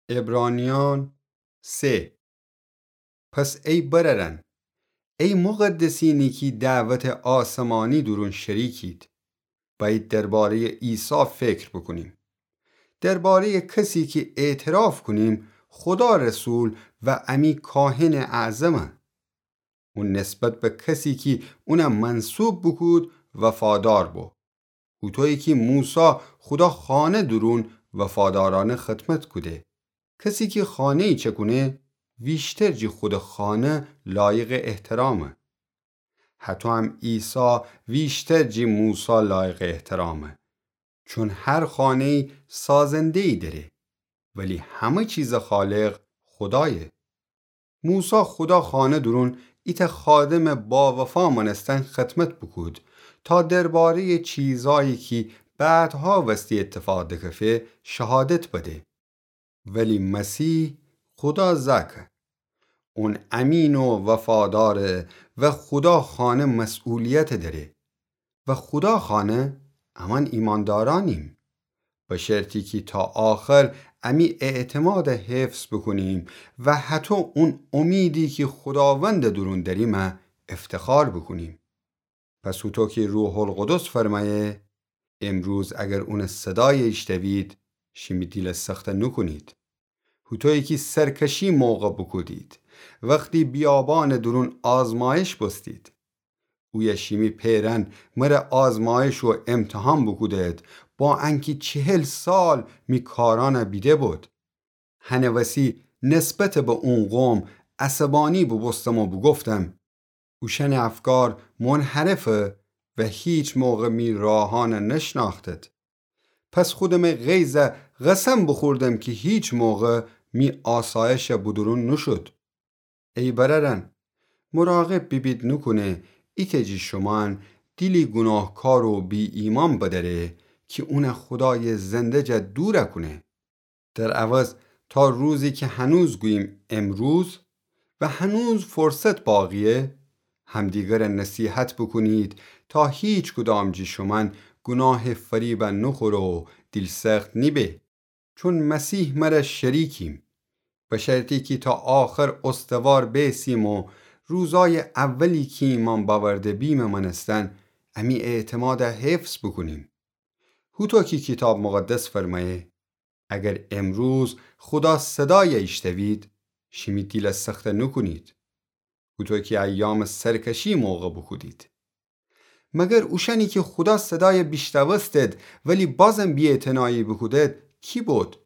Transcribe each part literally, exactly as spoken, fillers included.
عبرانیان سه. پس ای برأرأن، ای مقدسینی کی دعوتٚ آسمانی دورون شریکید، بأیید دربارهٔ عیسی فکر بوکونیم، دربارهٔ کسی کی اعتراف کونیم خودا رسول و امی کاهنٚ اعظمه. اون نسبت به کسی کی اون منصوب بوکود وفادار بو. هوطویی کی موسی خودا خانه دورون وفادارأنه خدمت کوده. کسی کی خانه‌یی چکونه، ویشتر جی خودٚ خانه لایقٚ احترامه. هطو هم عیسی ویشتر جی موسی لایقٚ احترامه. چون هر خانه‌یی سازنده‌یی دأره، ولی همه چیزٚ خالق خودایه. موسی خودا خانه دورون ایتأ خادمٚ باوفا مأنستن خدمت بوکود تا دربارهٔ چیزأیی کی بعدها وستی اتفاق دکفه شهادت بده. ولی مسیح خودا زأکه. اون امین و وفاداره و خودا خانه مسئولیت دأره. و خودا خانه امأن ایماندارأنیم، به شرطی کی تا آخر امی اعتماد حفظ بوکونیم و هطو اون امیدی کی خوداوندٚ دورون دأریمه افتخار بوکونیم. پس هوطو کی روح‌القدس فرمأیه، امروز اگر اونٚ صدای ایشتوید، شیمی دیل سخت نوکونید. هوطویی کی سرکشی موقع بوکودید، وختی بیابانٚ دورون آزمایش بوستید. اویه شیمی پئرأن مره آزمایش و امتحان بوکودد، با انکی چهل سال می کارأنه بیده بود. هنٚ وسی نسبت به اون قوم عصبانی بوبوستم و بوگفتم، اوشأنٚ افکار منحرفه و هیچ موقع می راهأنه نشنأختد. پس خودمٚ غیظه قسم بوخوردم کی هیچ موقع می آسایشه بودورون نوشود. ای برأرأن، مراقب بیبید نوکونه ایتأ جی شومأن دیلی گوناهکار و بی‌ایمأن بدأره کی اونه خودایٚ زنده جا دور کونه. در عوض تا روزی کی هنوز گوییم امروز و هنوز فرصت باقیه، همدیگره نصیحت بوکونید تا هیچکدام جی شومأن گوناهٚ فریبه نوخوره و دیل‌سخت نیبه. چون مسیح مره شریکیم، به شرطی کی تا آخر استوار بیسیم و روزای اولی کی ایمأن بأورده بیمٚ مأنستن امی اعتماده حفظ بوکونیم. هوطو کی کیتاب مقدس فرمأیه، اگر امروز خودا صدای ایشتوید، شیمی دیل سخت نوکونید، هوطو کی ایامٚ سرکشی موقع بوکودید. مگر اوشأنی کی خودا صدای بیشتوستد ولی بازم بی‌اعتنایی بوکودد کی بود؟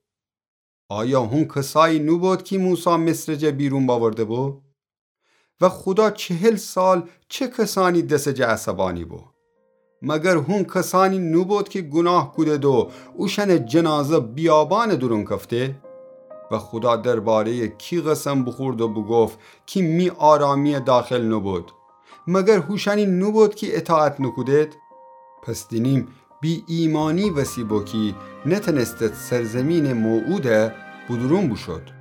آیا هون کسایی نوبود کی موسی مصرٚ جا بیرون بأورده بو؟ و خودا چهل سال چه کسانی دسٚ جا عصبانی بو؟ مگر هون کسانی نوبود کی گوناه کودد و اوشأنٚ جنازه بیابانٚ دورون کفته؟ و خودا درباره‌یٚ کی قسم بوخورد و بوگفت کی می آرامی‌یٚ داخل نوبود؟ مگر هوشأنی نوبود کی اطاعت نوکودد؟ پس دینیم بی‌ایمأنی وسی بو کی نتأنستد سرزیمینٚ موعوده بودورون بوشود.